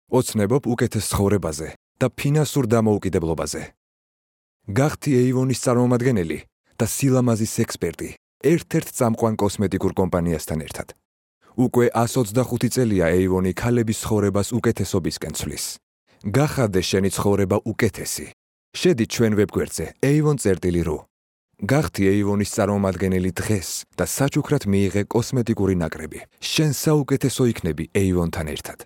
ოცნებობ უკეთეს ცხოვრებაზე და ფინანსურ დამოუკიდებლობაზე. გახდი Avon-ის წარმომადგენელი და სილამაზის ექსპერტი ერთ-ერთ წამყვან კოსმეტიკურ კომპანიასთან ერთად. უკვე 125 წელია Avon-ი ქალების ცხოვრებას უკეთესობისკენ ცვლის. გახადე შენი ცხოვრება უკეთესი. შედი ჩვენ ვებგვერდზე avon.ru. გახდი Avon-ის წარმომადგენელი დღეს და საჩუქრად მიიღე კოსმეტიკური ნაკრები. შენ საუკეთესო იქნები Avon-თან ერთად.